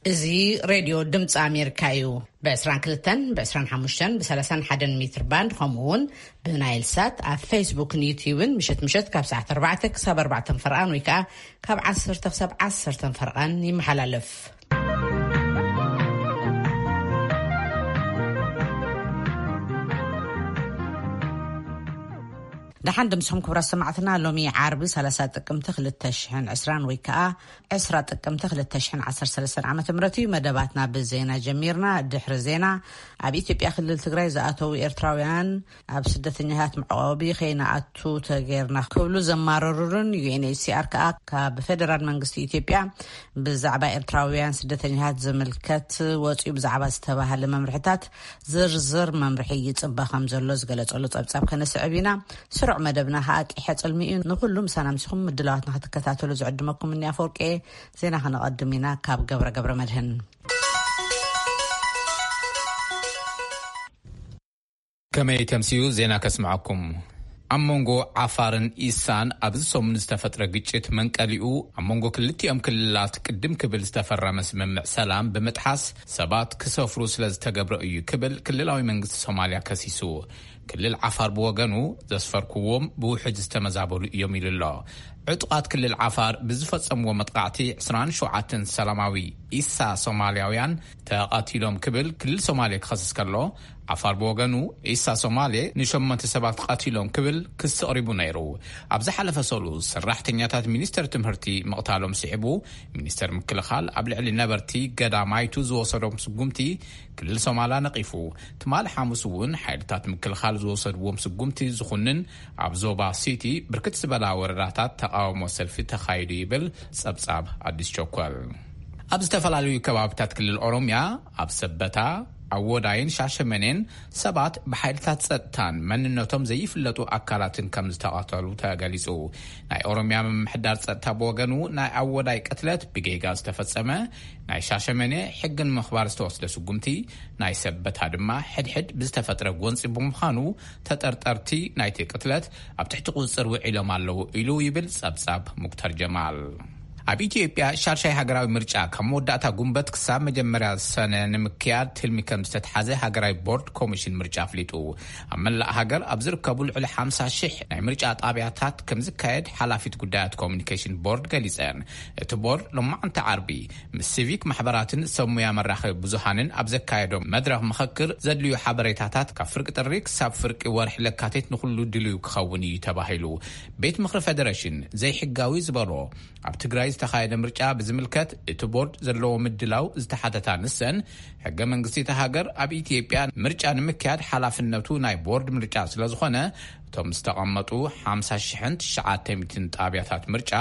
እዚ ሬድዮ ድምፂ ኣሜሪካ እዩ። ብ22፣ ብ25፣ ብ31 ሜትር ባንድ፣ ከምኡ እውን ብናይል ሳት ኣብ ፌስቡክን ዩትዩብን ምሸት ምሸት ካብ ሰዓት ኣርባዕተ ክሳብ ኣርባዕተ ፈርቓን ወይ ከዓ ካብ ዓሰርተ ክሳብ ዓሰርተ ፈርቓን ይመሓላለፍ። ደሓን ድምስኹም ክቡራት ሰማዕትና። ሎሚ ዓርቢ ሰላሳ ጥቅምቲ ክልተ ሽሕን ዕስራን ወይ ከዓ ዕስራ ጥቅምቲ ክልተ ሽሕን ዓሰርተ ሰለስተን ዓመተ ምህረት እዩ። መደባትና ብዜና ጀሚርና። ድሕሪ ዜና፣ ኣብ ኢትዮጵያ ክልል ትግራይ ዝኣተዉ ኤርትራውያን ኣብ ስደተኛታት መዕቆቢ ከይንኣቱ ተገይርና ክብሉ ዘማረሩን፣ ዩ ኤን ኤች ሲ ኣር ከዓ ካብ ፌደራል መንግስቲ ኢትዮጵያ ብዛዕባ ኤርትራውያን ስደተኛታት ዝምልከት ወፂኡ ብዛዕባ ዝተባሃለ መምርሕታት ዝርዝር መምርሒ ይፅበ ከም ዘሎ ዝገለጸሉ ጸብጻብ ከነስዕብ ኢና። ስሩዕ መደብና ከዓ ቂሐ ጽልሚ እዩ። ንኩሉ ምሳና ምሲኹም ምድላዋትና ክትከታተሉ ዝዕድመኩም እኒ ኣፈወርቂ። ዜና ከነቐድም ኢና ካብ ገብረ ገብረ መድህን። ከመይ ተምስዩ ዜና ከስምዐኩም። ኣብ መንጎ ዓፋርን ኢሳን ኣብዚ ሰሙን ዝተፈጥረ ግጭት መንቀሊኡ ኣብ መንጎ ክልቲኦም ክልላት ቅድም ክብል ዝተፈረመ ስምምዕ ሰላም ብምጥሓስ ሰባት ክሰፍሩ ስለ ዝተገብረ እዩ ክብል ክልላዊ መንግስቲ ሶማልያ ከሲሱ። ክልል ዓፋር ብወገኑ ዘስፈርኩዎም ብውሕጅ ዝተመዛበሉ እዮም ኢሉ ኣሎ። ዕጡቓት ክልል ዓፋር ብዝፈጸምዎ መጥቃዕቲ ዕስራን ሸውዓተን ሰላማዊ ኢሳ ሶማልያውያን ተቐቲሎም ክብል ክልል ሶማሌ ክኸስስ ከሎ፣ ዓፋር ብወገኑ ኢሳ ሶማሌ ንሸሞንተ ሰባት ቀቲሎም ክብል ክሲ ኣቕሪቡ ነይሩ። ኣብ ዝሓለፈ ሰሉስ ሰራሕተኛታት ሚኒስተር ትምህርቲ ምቕታሎም ስዒቡ፣ ሚኒስተር ምክልኻል ኣብ ልዕሊ ነበርቲ ገዳማይቱ ዝወሰዶም ስጉምቲ ክልል ሶማላ ነቒፉ። ትማሊ ሓሙስ እውን ሓይልታት ምክልኻል ዝወሰድዎም ስጉምቲ ዝኹንን ኣብ ዞባ ሲቲ ብርክት ዝበላ ወረዳታት ተቃውሞ ሰልፊ ተኻይዱ ይብል ጸብጻብ ኣዲስ ቸኮል። ኣብ ዝተፈላለዩ ከባብታት ክልል ኦሮምያ፣ ኣብ ሰበታ፣ ኣወዳይን ሻሸመኔን ሰባት ብሓይልታት ጸጥታን መንነቶም ዘይፍለጡ ኣካላትን ከም ዝተቐተሉ ተገሊጹ። ናይ ኦሮምያ ምምሕዳር ጸጥታ ብወገኑ፣ ናይ ኣወዳይ ቅትለት ብጌጋ ዝተፈጸመ፣ ናይ ሻሸመኔ ሕግን ምኽባር ዝተወስደ ስጉምቲ፣ ናይ ሰበታ ድማ ሕድሕድ ብዝተፈጥረ ጎንጺ ብምዃኑ፣ ተጠርጠርቲ ናይቲ ቅትለት ኣብ ትሕቲ ቁጽጽር ውዒሎም ኣለዉ ኢሉ ይብል ጸብጻብ ሙክተር ጀማል። ኣብ ኢትዮጵያ ሻድሻይ ሃገራዊ ምርጫ ካብ መወዳእታ ጉንበት ክሳብ መጀመርያ ሰነ ንምክያድ ትልሚ ከም ዝተትሓዘ ሃገራዊ ቦርድ ኮሚሽን ምርጫ ኣፍሊጡ። ኣብ መላእ ሃገር ኣብ ዝርከቡ ልዕሊ ሓምሳ ሺሕ ናይ ምርጫ ጣብያታት ከም ዝካየድ ሓላፊት ጉዳያት ኮሚኒኬሽን ቦርድ ገሊጸን። እቲ ቦርድ ሎማዕንቲ ዓርቢ ምስ ሲቪክ ማሕበራትን ሰብ ሙያ መራኸቢ ብዙሃንን ኣብ ዘካየዶ መድረኽ ምኽክር ዘድልዩ ሓበሬታታት ካብ ፍርቂ ጥሪ ክሳብ ፍርቂ ወርሒ ለካቲት ንኹሉ ድልዩ ክኸውን እዩ ተባሂሉ። ቤት ምኽሪ ፌደሬሽን ዘይሕጋዊ ዝበሎ ኣብ ትግራይ ዝተኻየደ ምርጫ ብዝምልከት እቲ ቦርድ ዘለዎ ምድላው ዝተሓተታ ንሰን፣ ሕገ መንግስቲ እታ ሃገር ኣብ ኢትዮጵያ ምርጫ ንምክያድ ሓላፍነቱ ናይ ቦርድ ምርጫ ስለ ዝኾነ፣ እቶም ዝተቐመጡ ሓምሳ ሽሕን ትሽዓተ ሚእትን ጣብያታት ምርጫ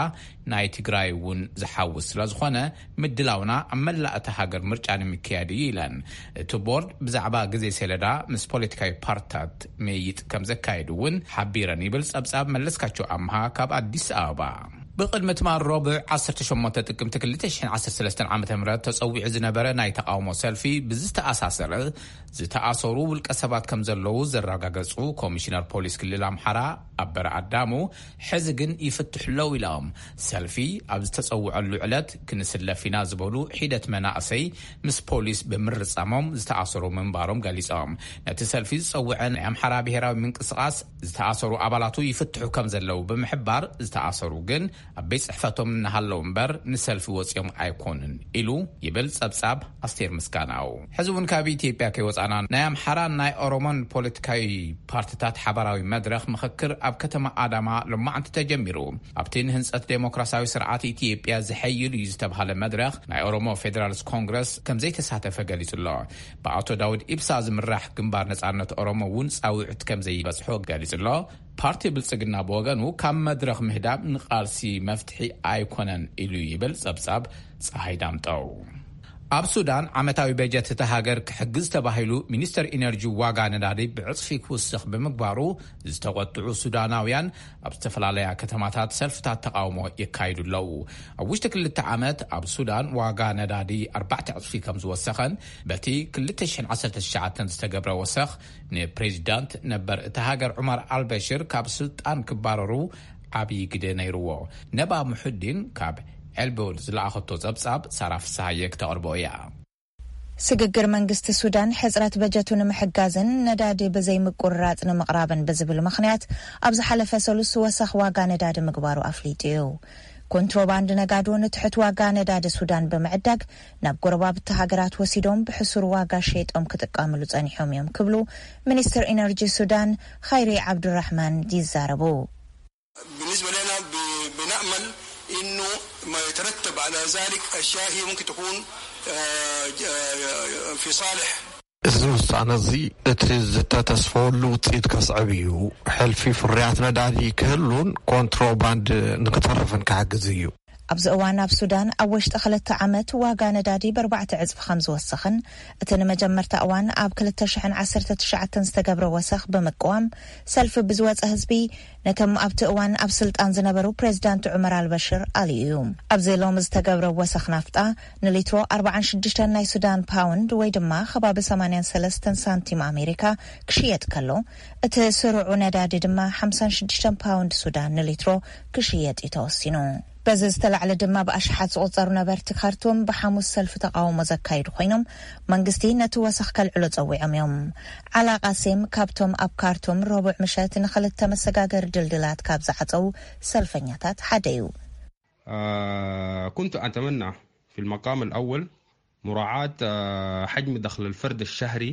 ናይ ትግራይ እውን ዝሓውስ ስለ ዝኾነ፣ ምድላውና ኣብ መላእ እታ ሃገር ምርጫ ንምክያድ እዩ ኢለን። እቲ ቦርድ ብዛዕባ ግዜ ሰሌዳ ምስ ፖለቲካዊ ፓርትታት ምይይጥ ከም ዘካየዱ እውን ሓቢረን ይብል ጸብጻብ መለስካቸው ኣምሃ ካብ ኣዲስ ኣበባ። ብቕድሚ ትማል ረቡዕ ዓሰርተ ሸሞንተ ጥቅምቲ ክልተ ሽሕን ዓሰርተ ሰለስተን ዓመተ ምህረት ተጸዊዑ ዝነበረ ናይ ተቃውሞ ሰልፊ ብዝተኣሳሰረ ዝተኣሰሩ ውልቀ ሰባት ከም ዘለዉ ዘረጋገጹ ኮሚሽነር ፖሊስ ክልል ኣምሓራ ኣበረ ኣዳሙ፣ ሕዚ ግን ይፍትሑ ኣለዉ ኢሎም። ሰልፊ ኣብ ዝተጸውዐሉ ዕለት ክንስለፍ ኢና ዝበሉ ሒደት መናእሰይ ምስ ፖሊስ ብምርጻሞም ዝተኣሰሩ ምንባሮም ገሊጾም። ነቲ ሰልፊ ዝጸውዐ ናይ ኣምሓራ ብሄራዊ ምንቅስቓስ ዝተኣሰሩ ኣባላቱ ይፍትሑ ከም ዘለዉ ብምሕባር፣ ዝተኣሰሩ ግን ኣብ ቤት ጽሕፈቶም እናሃለዉ እምበር ንሰልፊ ወጺኦም ኣይኮኑን ኢሉ ይብል ጸብጻብ ኣስቴር ምስጋናው። ሕዚ እውን ካብ ኢትዮጵያ ከይወጻና፣ ናይ ኣምሓራን ናይ ኦሮሞን ፖለቲካዊ ፓርትታት ሓባራዊ መድረኽ ምኽክር ኣብ ከተማ ኣዳማ ሎማዕንቲ ተጀሚሩ። ኣብቲ ንህንጸት ዴሞክራሲያዊ ስርዓት ኢትዮጵያ ዝሐይል እዩ ዝተባሃለ መድረኽ ናይ ኦሮሞ ፌዴራልስ ኮንግረስ ከም ዘይተሳተፈ ገሊጹ ኣሎ። ብኣቶ ዳውድ ኢብሳ ዝምራሕ ግንባር ነጻነት ኦሮሞ እውን ጻውዕት ከም ዘይበጽሖ ገሊጹ ኣሎ። ፓርቲ ብልጽግና ብወገኑ ካብ መድረኽ ምህዳም ንቃልሲ መፍትሒ ኣይኮነን ኢሉ ይብል ጸብጻብ ጸሃይ ዳምጠው። ኣብ ሱዳን ዓመታዊ በጀት እታ ሃገር ክሕግዝ ተባሂሉ ሚኒስተር ኢነርጂ ዋጋ ነዳዲ ብዕጽፊ ክውስኽ ብምግባሩ ዝተቆጥዑ ሱዳናውያን ኣብ ዝተፈላለያ ከተማታት ሰልፍታት ተቃውሞ የካይዱ ኣለዉ። ኣብ ውሽጢ ክልተ ዓመት ኣብ ሱዳን ዋጋ ነዳዲ ኣርባዕተ ዕጽፊ ከም ዝወሰኸን በቲ ክልተ ሽሕን ዓሰርተ ትሽዓተን ዝተገብረ ወሰኽ ንፕሬዚዳንት ነበር እታ ሃገር ዑመር ኣልበሽር ካብ ስልጣን ክባረሩ ዓብዪ ግደ ነይርዎ። ነባ ሙሑዲን ካብ ኤልቦድ ዝለኣኸቶ ጸብጻብ ሳራ ፍስሃየ ክተቕርቦ እያ። ስግግር መንግስቲ ሱዳን ሕጽረት በጀቱ ንምሕጋዝን ነዳዲ ብዘይምቁርራጽ ንምቕራብን ብዝብል ምኽንያት፣ ኣብ ዝሓለፈ ሰሉስ ወሰኽ ዋጋ ነዳዲ ምግባሩ ኣፍሊጡ እዩ። ኮንትሮባንድ ነጋዶ ንትሑት ዋጋ ነዳዲ ሱዳን ብምዕዳግ፣ ናብ ጎረባብቲ ሃገራት ወሲዶም ብሕሱር ዋጋ ሸይጦም ክጥቀምሉ ጸኒሖም እዮም ክብሉ ሚኒስትር ኢነርጂ ሱዳን ኸይሪ ዓብዱራሕማን ይዛረቡ። بالنسبة لنا ب- بنأمل إنه ما يترتب على ذلك أشياء هي ممكن تكون آه، آه، في صالح እዚ ውሳነ እዚ እቲ ዝተተስፈወሉ ውፅኢት ከስዕብ እዩ። ሕልፊ ፍርያት ነዳዲ ክህሉን ኮንትሮባንድ ንክተርፍን ክሕግዝ እዩ። ኣብዚ እዋን ኣብ ሱዳን ኣብ ውሽጢ ክልተ ዓመት ዋጋ ነዳዲ ብኣርባዕተ ዕፅፊ ከም ዝወሰኽን፣ እቲ ንመጀመርታ እዋን ኣብ ክልተ ሽሕን ዓሰርተ ትሽዓተን ዝተገብረ ወሰኽ ብምቅዋም፣ ሰልፊ ብዝወፀ ህዝቢ ነቶም ኣብቲ እዋን ኣብ ስልጣን ዝነበሩ ፕሬዚዳንት ዑመር ኣልበሽር ኣልዩ እዩ። ኣብዚ ሎሚ ዝተገብረ ወሰኽ ናፍጣ ንሊትሮ ኣርባዓን ሽዱሽተን ናይ ሱዳን ፓውንድ ወይ ድማ ከባቢ ሰማንያን ሰለስተን ሳንቲም ኣሜሪካ ክሽየጥ ከሎ፣ እቲ ስሩዑ ነዳዲ ድማ ሓምሳን ሽዱሽተን ፓውንድ ሱዳን ንሊትሮ ክሽየጥ እዩ ተወሲኑ። በዚ ዝተላዕለ ድማ ብኣሽሓት ዝቑጸሩ ነበርቲ ካርቱም ብሓሙስ ሰልፊ ተቓውሞ ዘካየዱ ኮይኖም፣ መንግስቲ ነቲ ወሰኽ ከልዕሎ ጸዊዖም እዮም። ዓላ ቃሴም ካብቶም ኣብ ካርቱም ረቡዕ ምሸት ንኽልተ መሰጋገሪ ድልድላት ካብ ዝዓጸው ሰልፈኛታት ሓደ እዩ። آه، كنت أتمنى في المقام الأول مراعاة آه، حجم دخل الفرد الشهري.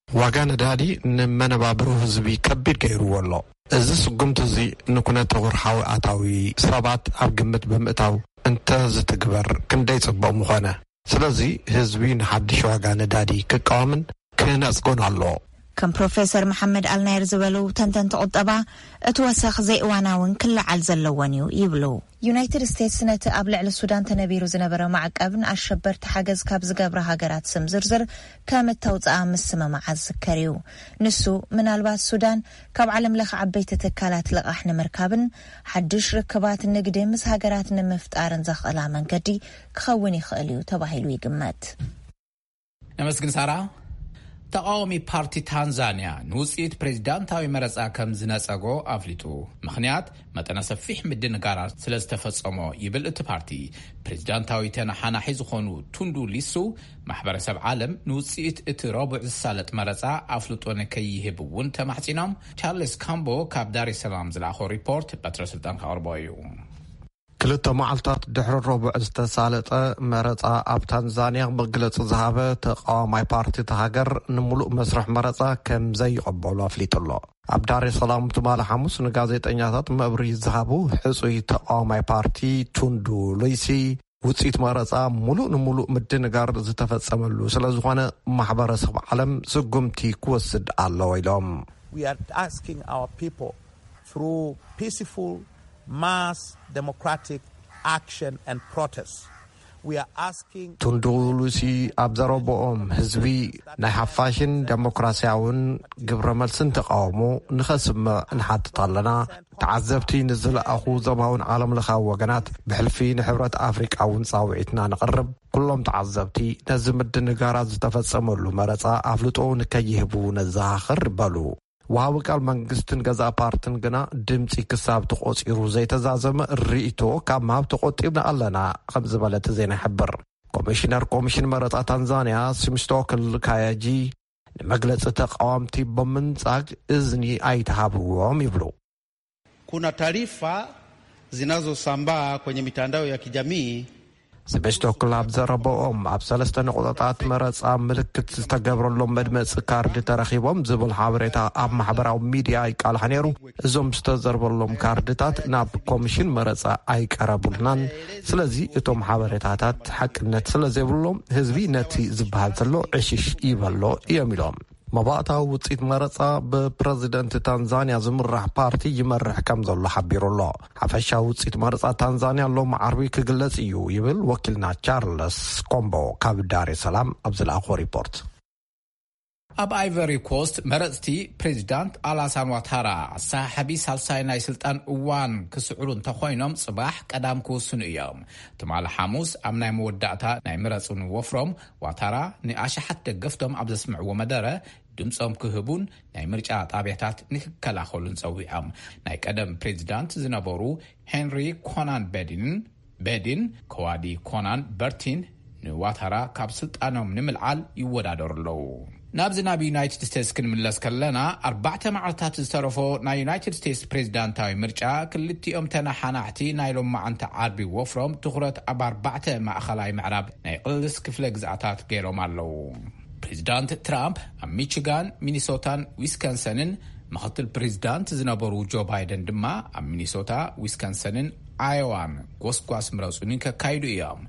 ዋጋ ነዳዲ ንመነባብሮ ህዝቢ ከቢድ ገይርዎ ኣሎ። እዚ ስጉምቲ እዚ ንኩነተ ወርሓዊ ኣታዊ ሰባት ኣብ ግምት ብምእታው እንተ ዝትግበር ክንደይ ጽቡቕ ምኾነ። ስለዚ ህዝቢ ንሓድሽ ዋጋ ነዳዲ ክቃወምን ክነጽጎን ኣለዎ። ከም ፕሮፌሰር መሓመድ ኣልናይር ዝበሉ ተንተንቲ ቁጠባ፣ እቲ ወሰኽ ዘይእዋናውን ክለዓል ዘለዎን እዩ ይብሉ። ዩናይትድ ስቴትስ ነቲ ኣብ ልዕሊ ሱዳን ተነቢሩ ዝነበረ ማዕቀብ ንኣሸበርቲ ሓገዝ ካብ ዝገብራ ሃገራት ስም ዝርዝር ከም እተውፅኣ ምስምማዓ ዝዝከር እዩ። ንሱ ምናልባት ሱዳን ካብ ዓለም ለኸ ዓበይቲ ትካላት ልቓሕ ንምርካብን ሓዱሽ ርክባት ንግዲ ምስ ሃገራት ንምፍጣርን ዘኽእላ መንገዲ ክኸውን ይኽእል እዩ ተባሂሉ ይግመት። ነመስግን ሳራ። ተቓዋሚ ፓርቲ ታንዛንያ ንውፅኢት ፕሬዚዳንታዊ መረፃ ከም ዝነፀጎ ኣፍሊጡ። ምኽንያት መጠነ ሰፊሕ ምድንጋራት ስለ ዝተፈጸሞ ይብል እቲ ፓርቲ። ፕሬዚዳንታዊ ተነሓናሒ ዝኾኑ ቱንዱ ሊሱ ማሕበረሰብ ዓለም ንውፅኢት እቲ ረቡዕ ዝሳለጥ መረፃ ኣፍልጦ ንከይህብ እውን ተማሕፂኖም። ቻርልስ ካምቦ ካብ ዳሬ ሰላም ዝለኣኾ ሪፖርት በትረ ስልጣን ከቕርቦ እዩ። ክልተ መዓልታት ድሕሪ ረቡዕ ዝተሳለጠ መረፃ ኣብ ታንዛንያ መግለፂ ዝሃበ ተቃዋማይ ፓርቲ እቲ ሃገር ንምሉእ መስርሕ መረፃ ከም ዘይቀበሉ ኣፍሊጡ ኣሎ። ኣብ ዳሬ ሰላም ትማሊ ሓሙስ ንጋዜጠኛታት መብርሂ ዝሃቡ ሕፁይ ተቃዋማይ ፓርቲ ቱንዱ ሉይሲ ውፅኢት መረፃ ሙሉእ ንሙሉእ ምድንጋር ዝተፈፀመሉ ስለዝኾነ ማሕበረሰብ ዓለም ስጉምቲ ክወስድ ኣለዎ ኢሎም። We are asking our people through peaceful mass democratic action and protest. We are asking ቱንዱ ሉሲ ኣብ ዘረብኦም ህዝቢ ናይ ሓፋሽን ደሞክራሲያውን ግብረ መልስን ተቃውሞ ንኸስምዕ ንሓትት ኣለና። ተዓዘብቲ ንዝለኣኹ ዞባውን ዓለም ለኻዊ ወገናት ብሕልፊ ንሕብረት ኣፍሪቃ እውን ጻውዒትና ንቕርብ። ኩሎም ተዓዘብቲ ነዚ ምድንጋራት ዝተፈጸመሉ መረጻ ኣፍልጦ ንከይህቡ ነዘኻኽር በሉ። ወሃቢ ቃል መንግስትን ገዛእ ፓርትን ግና ድምፂ ክሳብ ተቖፂሩ ዘይተዛዘመ ርእይቶ ካብ ምሃብ ተቖጢብና ኣለና ከም ዝበለ እቲ ዜና ይሕብር። ኮሚሽነር ኮሚሽን መረፃ ታንዛንያ ሲምስቶክል ካያጂ ንመግለፂ ተቃወምቲ ብምንፃግ እዝኒ ኣይተሃብዎም ይብሉ። Kuna taarifa zinazosambaa kwenye mitandao ya kijamii. ስቤስቶክል ኣብ ዘረበኦም ኣብ ሰለስተ ነቑጣታት መረፃ ምልክት ዝተገብረሎም መድመፂ ካርድ ተረኺቦም ዝብል ሓበሬታ ኣብ ማሕበራዊ ሚድያ ይቃልሕ ነይሩ። እዞም ዝተዘርበሎም ካርድታት ናብ ኮሚሽን መረፃ ኣይቀረቡልናን። ስለዚ እቶም ሓበሬታታት ሓቅነት ስለ ዘይብሎም ህዝቢ ነቲ ዝበሃል ዘሎ ዕሽሽ ይበሎ እዮም ኢሎም። መባእታዊ ውፅኢት መረፃ ብፕረዚደንት ታንዛንያ ዝምራሕ ፓርቲ ይመርሕ ከም ዘሎ ሓቢሩ ኣሎ። ሓፈሻዊ ውፅኢት መረፃ ታንዛንያ ሎም ዓርቢ ክግለፅ እዩ ይብል ወኪልና ቻርለስ ኮምቦ ካብ ዳሬ ሰላም ኣብ ዝለኣኾ ሪፖርት። ኣብ ኣይቨሪ ኮስት መረፅቲ ፕሬዚዳንት ኣላሳን ዋታራ ኣሰሓሕቢ ሳልሳይ ናይ ስልጣን እዋን ክስዕሩ እንተኾይኖም ፅባሕ ቀዳም ክውስኑ እዮም። ትማሊ ሓሙስ ኣብ ናይ መወዳእታ ናይ ምረፁ ንወፍሮም ዋታራ ንኣሽሓት ደገፍቶም ኣብ ዘስምዕዎ መደረ ድምፆም ክህቡን ናይ ምርጫ ጣብያታት ንክከላኸሉን ፀዊዖም። ናይ ቀደም ፕሬዚዳንት ዝነበሩ ሄንሪ ኮናን በዲን በዲን፣ ከዋዲ ኮናን በርቲን ንዋታራ ካብ ስልጣኖም ንምልዓል ይወዳደሩ ኣለዉ። ናብዚ ናብ ዩናይትድ ስቴትስ ክንምለስ ከለና፣ ኣርባዕተ መዓልታት ዝተረፎ ናይ ዩናይትድ ስቴትስ ፕሬዚዳንታዊ ምርጫ፣ ክልቲኦም ተነሓናሕቲ ናይ ሎማዓንቲ ዓርቢ ወፍሮም ትኹረት ኣብ ኣርባዕተ ማእኸላይ ምዕራብ ናይ ቅልስ ክፍለ ግዝኣታት ገይሮም ኣለዉ። ፕሬዚዳንት ትራምፕ ኣብ ሚቺጋን፣ ሚኒሶታን ዊስከንሰንን፣ ምኽትል ፕሬዚዳንት ዝነበሩ ጆ ባይደን ድማ ኣብ ሚኒሶታ፣ ዊስከንሰንን ኣዮዋን ጎስጓስ ምረጹኒ ከካይዱ እዮም።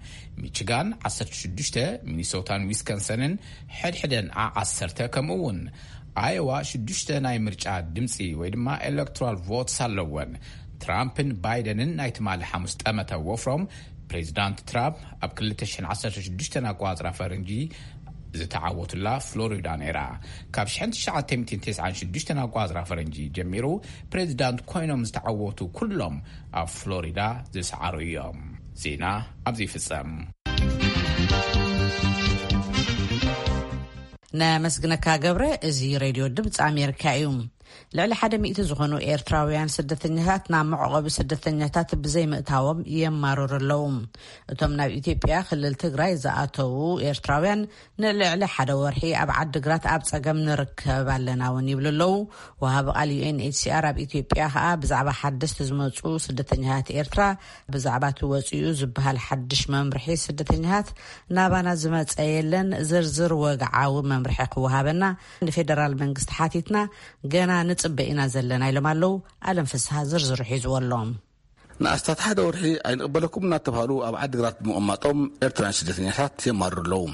ሚቺጋን ዓሰርተ ሽዱሽተ፣ ሚኒሶታን ዊስከንሰንን ሕድሕደን ዓ ዓሰርተ፣ ከምኡ እውን ኣዮዋ ሽዱሽተ ናይ ምርጫ ድምጺ ወይ ድማ ኤሌክቶራል ቮትስ ኣለወን። ትራምፕን ባይደንን ናይ ትማሊ ሓሙስ ጠመተ ወፍሮም፣ ፕሬዚዳንት ትራምፕ ኣብ ክልተ ሽሕን ዓሰርተ ሽዱሽተን ኣቋጽራ ፈረንጂ ዝተዓወቱላ ፍሎሪዳ ነይራ። ካብ ሽሕን ትሽዓተ ሚእትን ተስዓን ሽዱሽተን ኣቋጽራ ፈረንጂ ጀሚሩ ፕሬዚዳንት ኮይኖም ዝተዓወቱ ኩሎም ኣብ ፍሎሪዳ ዝሰዓሩ እዮም። ዜና ኣብዚ ይፍጸም። ነመስግነካ ገብረ። እዚ ሬድዮ ድምፂ ኣሜሪካ እዩ። ልዕሊ ሓደ ሚእቲ ዝኾኑ ኤርትራውያን ስደተኛታት ናብ መዕቆቢ ስደተኛታት ብዘይምእታዎም የማርሩ ኣለዉ። እቶም ናብ ኢትዮጵያ ክልል ትግራይ ዝኣተዉ ኤርትራውያን ንልዕሊ ሓደ ወርሒ ኣብ ዓዲግራት ኣብ ጸገም ንርከብ ኣለና እውን ይብሉ ኣለዉ። ወሃቢ ቃል ዩ ኤን ኤች ሲ ኣር ኣብ ኢትዮጵያ ከኣ ብዛዕባ ሓደስቲ ዝመጹ ስደተኛታት ኤርትራ፣ ብዛዕባ እቲ ወጺኡ ዝበሃል ሓድሽ መምርሒ ስደተኛታት ናባና ዝመጸ የለን። ዝርዝር ወግዓዊ መምርሒ ክወሃበና ንፌደራል መንግስቲ ሓቲትና፣ ገና ንጽበ ኢና ዘለና ኢሎም ኣለዉ። ኣለም ፍስሃ ዝርዝሩ ሒዝዎ ኣሎ። ንኣስታት ሓደ ወርሒ ኣይንቕበለኩም እናተባህሉ ኣብ ዓዲግራት ብምቕማጦም ኤርትራውያን ስደተኛታት የማርሩ ኣለዉ።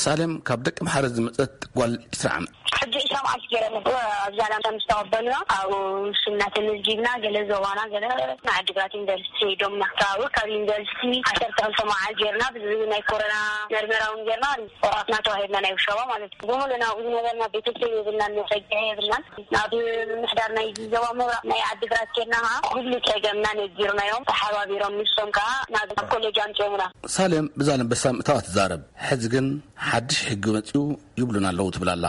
ሳሌም ካብ ደቂ ምሓረ ዝመጸት ጓል ዕስራ ዓመት። ሕጂ ዕስራ መዓልቲ ገይረ ነበር ኣብዛ ላምታ ምስ ተቐበልና ኣብኡ ሽምና ተመዝጊብና፣ ገለ ዞባና፣ ገለ ንዓዲግራት ዩኒቨርሲቲ ዶምና። ካብኡ ካብ ዩኒቨርሲቲ ዓሰርተ ክልተ መዓልቲ ገይርና፣ ብዚ ናይ ኮሮና መርመራ እውን ገይርና፣ ቆራትና ተዋሂብና ናይ ውሸባ ማለት እዩ። ብምሉእ ናብኡ ዝነበርና ቤተሰብ የብልናን፣ መጸግዒ የብልናን። ናብ ምምሕዳር ናይ ዞባ ምብራቕ ናይ ዓዲግራት ኬድና ኸዓ ኩሉ ጸገምና ነጊርናዮም፣ ተሓባቢሮም ንሶም ከኣ ናብ ኮሌጅ ኣምጺኦምና። ሳሌም ብዛላምበሳ ምእታዋ ትዛረብ። ሕዚ ግን ሓድሽ ሕጊ መጺኡ ይብሉና ኣለዉ ትብል ኣላ።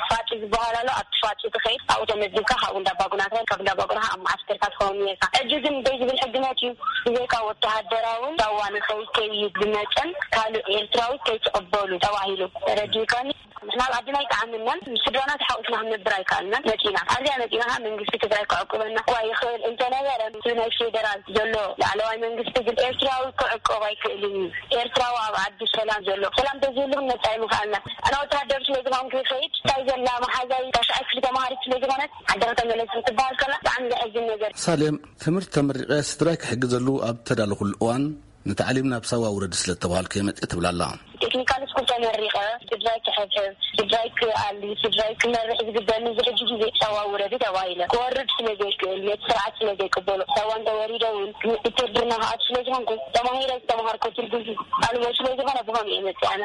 ፋጺ ዝበሃል ኣሎ። ኣብቲ ፋጺ ትኸይድ፣ ኣብኡ ተመዝጊብካ ካብኡ እንዳባጉና ትኸይድ፣ ካብ እንዳባጉና ኣብ መዓስከርካ ትኸውን ነርካ። ሕጂ ግን ደይ ዝብል ሕጊ መጺኡ፣ ብዘይካ ወተሃደራዊ ዳዋ ንኸይድ ከይድ ብመጠን ካልእ ኤርትራዊ ከይትቕበሉ ተባሂሉ። ተረዲእካኒ? ንሕና ኣብ ዓድና ኣይጠዓመናን፣ ምስ ስድራና ተሓቑፍና ክንነብር ኣይከኣልናን። መጺና፣ ኣብዚኣ መጺና ኸዓ መንግስቲ ትግራይ ክዕቁበና እኳ ይኽእል እንተነበረ፣ እቲ ናይ ፌደራል ዘሎ ላዕለዋይ መንግስቲ ግን ኤርትራዊ ክዕቆብ ኣይክእልን እዩ። ኤርትራዊ ኣብ ዓዲ ሰላም ዘሎ፣ ሰላም ተዝህሉ ክንመጽእ ኣይምኸኣልናን። ኣነ ወተሃደር ስለ ዝኾንኩ ይኸይድ፣ እንታይ ዘላ መሓዛይ ታሽዓይ ክፍሊ ተማሃሪት ስለ ዝኾነት ዓዲ ከተመለስ ክትበሃል ከላ ብጣዕሚ ዘሕዝን ነገር። ሳሌም፣ ትምህርቲ ተመሪቐ ስድራይ ክሕግዘሉ ኣብ ተዳለኹሉ እዋን፣ ንታዕሊም ናብ ሳዋ ውረዲ ስለ እተባሃልኩ እየ መጽእ ትብል ኣላ። ቴክኒካል ስኩል ተመሪቐ ስድራይ ክሕብሕብ፣ ስድራይ ክኣሊ፣ ስድራይ ክመርሕ ዝግበኒ፣ እዚ ሕጂ ግዜ ሳዋ ውረዲ ተባሂለ። ክወርድ ስለ ዘይክእል፣ ነቲ ስርዓት ስለ ዘይቅበሎ፣ ሳዋ እንተወሪደ እውን ውትድርና ክኣቱ ስለ ዝኾንኩ፣ ተማሂረ ዝተምሃርኩ ትርጉም ኣልቦ ስለ ዝኾነ ብኸምኡ እየ መጽእ ኣነ።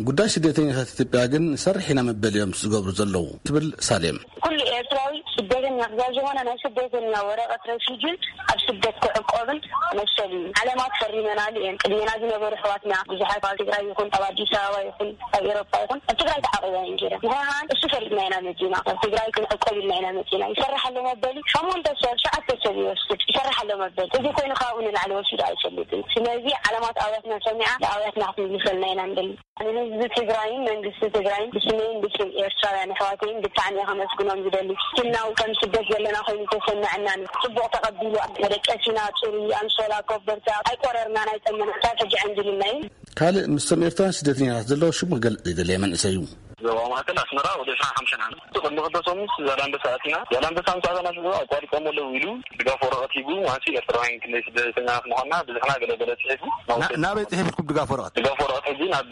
ጉዳይ ስደተኛታት ኢትዮጵያ ግን ንሰርሕ ኢና መበል እዮም ዝገብሩ ዘለዉ ትብል ሳሌም። ኩሉ ኤርትራዊ ስደተኛ ክሳብ ዝኾነ ናይ ስደተኛ ወረቐት ረፊጂን ኣብ ስደት ክዕቆብን መሰል እዩ። ዓለማት ፈሪመናሉ እየን። ቅድሜና ዝነበሩ ኣሕዋትና ብዙሓት ኣብ ትግራይ ይኹን ኣብ ኣዲስ ኣበባ ይኹን ኣብ ኤሮፓ ይኹን ኣብ ትግራይ ተዓቂባ እየን ገይረን። ንሕና እሱ ፈሪድና ኢና መጺና። ኣብ ትግራይ ክንዕቆብ ኢልና ኢና መጺና። ይሰርሕ ኣሎ መበሊ ሸሞንተ ሰብ፣ ሸዓተ ሰብ ይወስድ። ይሰርሕ ኣሎ መበሊ። እዚ ኮይኑ ካብኡ ንላዕሊ ወሲዱ ኣይፈልጥን። ስለዚ ዓለማት ኣውያትና ሰሚዓ ንኣውያትና ክትምልሰልና ኢና ንደሊ። ንህዝቢ ትግራይን መንግስቲ ትግራይን ብስመይን ብስም ኤርትራውያን ኣሕዋተይን ብጣዕሚ እየ ከመስግኖም ዝደሊ። ስናው ከም ስደት ዘለና ኮይኑ ተሰምዐናን ጽቡቕ ተቐቢሉ መደቀሲና፣ ጽሩይ ኣንሶላ፣ ኮበርታ፣ ኣይቆረርናን ኣይጠመናን፣ ክሳብ ሕጂ ዕንድልና እዩ። ካልእ ምስቶም ኤርትራውያን ስደተኛታት ዘለዎ ሽሙ ክገልጽ ዘይደለየ መንእሰይ እዩ። ዞባ ማእከል ኣስመራ ወደ ዕስራን ሓሙሽተን ዓመት። ቅድሚ ክልተ ሰሙን ዛላንበሳ ኣቲና። ዛላንበሳ ምስ ኣተና ሽዑ ኣቋሪጾም ኣለዉ ኢሉ ድጋፍ ወረቐት ሂቡ፣ ማለት ኤርትራውያን ክንደይ ስደተኛታት ምዃንና ብዝሕና ገለ ገለ ጽሒፉ። ናብ ና-፣ ናበይ ጽሒፍኩም ድጋፍ ወረቐት? ድጋፍ ወረቐት ሕጂ ናብ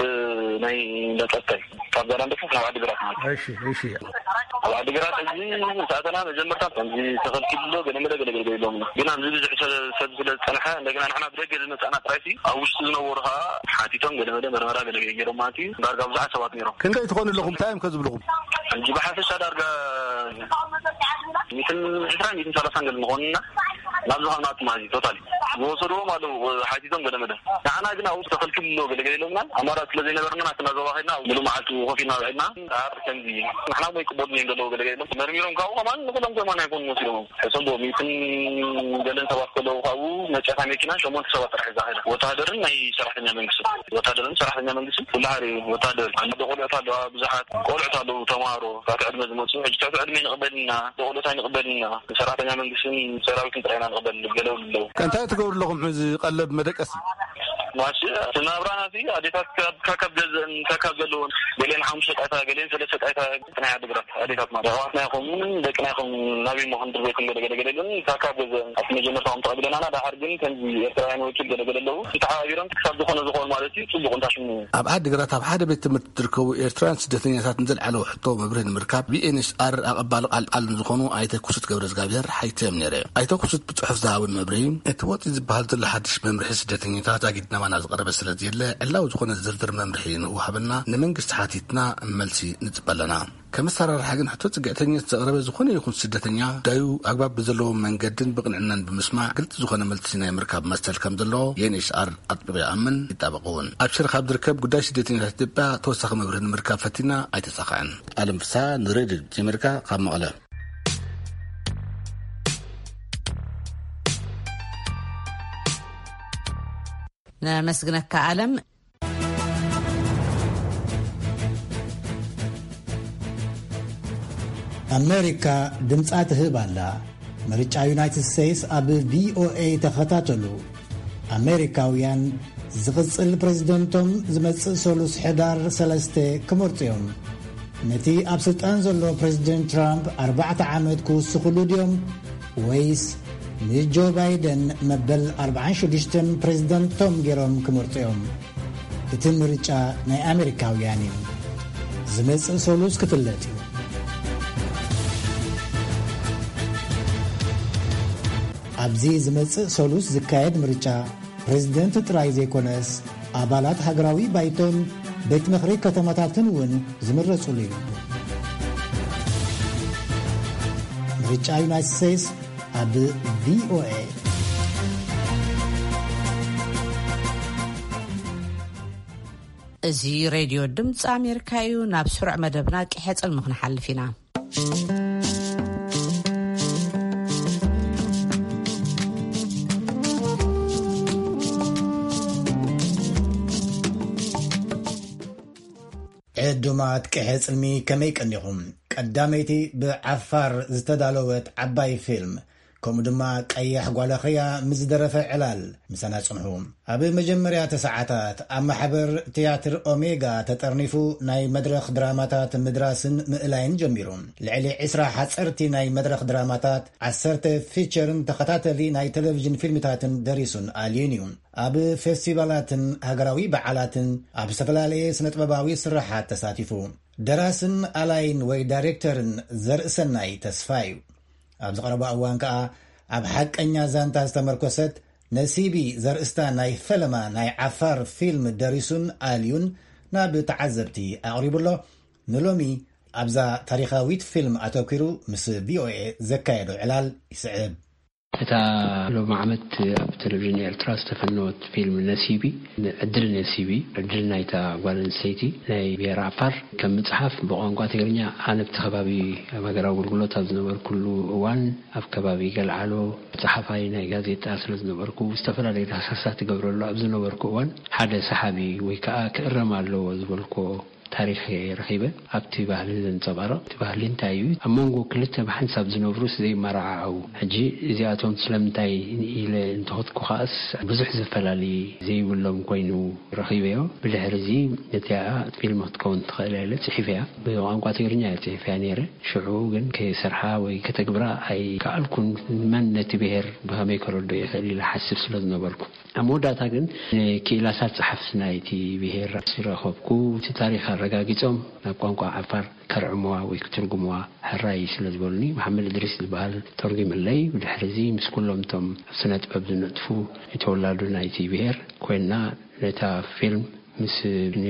ናይ ነጸብታይ ካብ ዛላንበሳ ናብ ዓዲግራት ማለት እዩ። እሺ፣ እሺ። ኣብ ዓዲግራት ሕጂ ምስ ኣተና መጀመርታ ከምዚ ተኸልኪሉ ኣሎ፣ ገለ መለ ገለ ገለ ኢሎምና። ግን ኣብዚ ብዙሕ ሰብ፣ ሰብ ስለ ዝጸንሐ እንደገና ንሕና ብደገ ዝመጻና ጥራይ ሲ ኣብ ውሽጢ ዝነበሩ ኸኣ ሓቲቶም ገለ መለ መርመራ ገለ ገለ ገይሮም ማለት እዩ። ዳርጋ ብዙሓት ሰባት ነይሮም። ክንደይ ትኾኑ ኣለኹም? እንታይ እዮም ከ ዝብልኹም? ሕጂ ብሓፈሻ ዳርጋ ሚእትን ዕስራን ሚእትን ሰላሳን ገለ ንኾንና። ናብዚ ካብ ናቱ ማለት እዩ። ቶታሊ ዝወሰድዎም ኣለዉ፣ ሓቲቶም ገለ መለ። ንዓና ግን ኣብኡ ተኸልኪሉ ኣሎ፣ ገለገለ ኢሎምና። ኣማራፂ ስለ ዘይነበረና ናትና ዞባ ከድና ኣብ ምሉእ መዓልቲ ኮፍ ኢልና ውዒልና። ኣር ከምዚ እዩ። ንሕና እሞ ይቅበሉና እዮም ዘለዉ፣ ገለገለ ኢሎም። መርሚሮም ካብኡ ከማን ንኩሎም ከማን ኣይኮኑን ወሲዶም። ሕሰቦ ሚእትን ገለን ሰባት ከለዉ ካብኡ መጨታ መኪና ሸሞንተ ሰባት ጥራሕ እዛ ከይዳ። ወተሃደርን ናይ ሰራሕተኛ መንግስቲ፣ ወተሃደርን ሰራሕተኛ መንግስቲ ኩሉ ሓደ እዩ። ወተሃደር ኣሎ፣ ቆልዑት ኣለዋ፣ ብዙሓት ቆልዑት ኣለዉ፣ ተምሃሮ፣ ካብቲ ዕድመ ዝመጹ። ሕጂ ትሕቲ ዕድመ ንቕበልና፣ ቆልዑት ኣይንቕበልና። ሰራሕተኛ መንግስትን ሰራዊትን ጥራይ ኢና ንቕበል፣ ገለ ኣለዉ። እንታይ ትገብሩ ኣለኹም ሕዚ ቀለብ መደቀሲ? ማሽ እቲ ናብራና እዚ ኣዴታት ካብ፣ ካብ፣ ካብ ገዝአን፣ ካብ፣ ካብ ዘለወን፣ ገሊአን ሓሙሽተ ጣይታ፣ ገሊአን ሰለስተ ጣይታ፣ ናይ ዓዲግራት ኣዴታት ማለት ኣሕዋትና ይኹን ደቅና ይኹን ናበይ እሞ ክንድር ዘይኮን ገለ ገለ ገለ ኢለን ካብ፣ ካብ ገዝአን ኣብቲ መጀመርታ ከም ተቐቢለናና፣ ደሓር ግን ከምዚ ኤርትራውያን ወኪል ገለ ገለ ኣለዉ። ተሓባቢሮም ክሳብ ዝኾነ ዝኾኑ ማለት እዩ፣ ጽቡቕ እንታ ሽሙ። ኣብ ዓዲግራት ኣብ ሓደ ቤት ትምህርቲ ዝርከቡ ኤርትራውያን ስደተኛታት ንዘልዓለዎ ሕቶ መብርሂ ንምርካብ ቪ ኤን ኤች ኣር ኣቐባሊ ቃል ቃል ንዝኾኑ ኣይተ ክሱት ገብረ እግዚኣብሔር ሓቲተዮም ነይረ። ኣይተ ክሱት ብጽሑፍ ዝሃቡን መብርሂ፣ እቲ ወጺኡ ዝበሃል ዘሎ ሓድሽ መምርሒ ስደተኛታት ዛጊድ ናባና ዝቐረበ ስለ ዘየለ፣ ዕላዊ ዝኾነ ዝርዝር መምርሒ ንክወሃበና ንመንግስቲ ሓቲትና መልሲ ንጽበ ኣለና። ከም ኣሰራርሓ ግን ሕቶ ጽግዕተኝነት ዘቕረበ ዝኾነ ይኹን ስደተኛ ጉዳዩ ኣግባብ ብዘለዎ መንገድን ብቕንዕናን ብምስማዕ ግልጺ ዝኾነ መልሲ ናይ ምርካብ መሰል ከም ዘለዎ ዩ ኤን ኤች ሲ ኣር ኣጥቢቑ ይኣምን፣ ይጣበቕ እውን። ኣብ ሽረ ካብ ዝርከብ ጉዳይ ስደተኛታት ኢትዮጵያ ተወሳኺ መብርሂ ንምርካብ ፈቲና ኣይተሳኽዐን። ኣለም ፍስሃ ንሬድዮ ድምጺ ኣሜሪካ ካብ መቐለ። ነመስግነካ ኣለም። ኣሜሪካ ድምጻ ትህብ ኣላ። ምርጫ ዩናይትድ ስቴትስ ኣብ ቪ ኦ ኤ ተኸታተሉ። ኣሜሪካውያን ዝቕጽል ፕሬዝደንቶም ዝመጽእ ሰሉስ ሕዳር ሰለስተ ክመርጹ እዮም። ነቲ ኣብ ስልጣን ዘሎ ፕሬዝደንት ትራምፕ ኣርባዕተ ዓመት ክውስኽሉ ድዮም ወይስ ንጆ ባይደን መበል ኣርባዓን ሽዱሽተን ፕሬዝደንቶም ገይሮም ክመርጹ እዮም? እቲ ምርጫ ናይ ኣሜሪካውያን እዩ። ዝመጽእ ሰሉስ ክፍለጥ እዩ። ኣብዚ ዝመጽእ ሰሉስ ዝካየድ ምርጫ ፕሬዝደንት ጥራይ ዘይኮነስ ኣባላት ሃገራዊ ባይቶን ቤት ምኽሪ ከተማታትን እውን ዝምረጹሉ እዩ። ምርጫ ዩናይትድ ስቴትስ ኣብ ቪ ኦ ኤ። እዚ ሬድዮ ድምፂ ኣሜሪካ እዩ። ናብ ስሩዕ መደብና ቂሐ ጽልሚ ክንሓልፍ ኢና። ዕዱማት ቅሐ ጽልሚ ከመይ ቀኒኹም? ቀዳመይቲ ብዓፋር ዝተዳለወት ዓባይ ፊልም፣ ከምኡ ድማ ቀያሕ ጓለኽያ ምስ ዝደረፈ ዕላል ምሳና ጽንሑ። ኣብ መጀመርያተ ሰዓታት ኣብ ማሕበር ትያትር ኦሜጋ ተጠርኒፉ ናይ መድረኽ ድራማታት ምድራስን ምእላይን ጀሚሩ። ልዕሊ ዕስራ ሓጸርቲ ናይ መድረኽ ድራማታት፣ ዓሰርተ ፊቸርን ተኸታተሊ ናይ ቴሌቪዥን ፊልምታትን ደሪሱን ኣልዩን እዩ። ኣብ ፌስቲቫላትን ሃገራዊ በዓላትን ኣብ ዝተፈላለየ ስነጥበባዊ ስራሓት ተሳቲፉ። ደራስን ኣላይን ወይ ዳይሬክተርን ዘርእሰናይ ተስፋ እዩ። ኣብ ዝቐረባ እዋን ከኣ ኣብ ሓቀኛ ዛንታ ዝተመርኮሰት ነሲቢ ዘርእስታ ናይ ፈለማ ናይ ዓፋር ፊልም ደሪሱን ኣልዩን ናብ ተዓዘብቲ ኣቕሪቡ ኣሎ። ንሎሚ ኣብዛ ታሪኻዊት ፊልም ኣተኲሩ ምስ ቪ ኦ ኤ ዘካየዶ ዕላል ይስዕብ። እታ ሎሚ ዓመት ኣብ ቴሌቪዥን ኤርትራ ዝተፈነወት ፊልም ነሲቢ፣ ዕድል ነሲቢ፣ ዕድል ናይታ ጓል ኣንስተይቲ ናይ ብሄር ዓፋር፣ ከም መጽሓፍ ብቋንቋ ትግርኛ፣ ኣነ ኣብቲ ከባቢ ኣብ ሃገራዊ ኣገልግሎት ኣብ ዝነበርኩሉ እዋን ኣብ ከባቢ ገልዓሎ ጸሓፋይ ናይ ጋዜጣ ስለ ዝነበርኩ፣ ዝተፈላለዩ ዳህሳሳት እገብረሉ ኣብ ዝነበርኩ እዋን ሓደ ሰሓቢ ወይ ከኣ ክእረም ኣለዎ ዝበልኩዎ ታሪኽ እየ ረኺበ። ኣብቲ ባህሊ ዘንጸባርቕ፣ እቲ ባህሊ እንታይ እዩ? ኣብ መንጎ ክልተ ብሓንሳብ ዝነብሩስ ዘይመራዓዓው? ሕጂ እዚኣቶም ስለምንታይ ኢለ እንተኸድኩ ከኣስ ብዙሕ ዝፈላሊ ዘይብሎም ኮይኑ ረኺበዮ። ብድሕሪ እዚ ነቲኣ ፊልም ክትከውን ትኽእል እያ ኢለ ጽሒፈያ። ብቋንቋ ትግርኛ እየ ጽሒፈያ ነይረ። ሽዑ ግን ከይሰርሓ ወይ ከተግብራ ኣይከኣልኩን። መን ነቲ ብሄር ብኸመይ ከረድኦ ይኽእል ኢለ ሓስብ ስለ ዝነበርኩ። ኣብ መወዳእታ ግን ንክኢላታት ጸሓፍቲ ናይቲ ብሄር ምስ ረኸብኩ፣ እቲ ታሪኽ ኣረጋጊጾም ናብ ቋንቋ ዓፋር ከርዕምዋ ወይ ክትርጉምዋ ሕራይ ስለ ዝበሉኒ፣ መሓመድ እድሪስ ዝበሃል ተርጒምለይ። ብድሕሪ እዚ ምስ ኩሎም እቶም ኣብ ስነ ጥበብ ዝነጥፉ ተወላዱ ናይቲ ብሄር ኮይንና ነታ ፊልም ምስ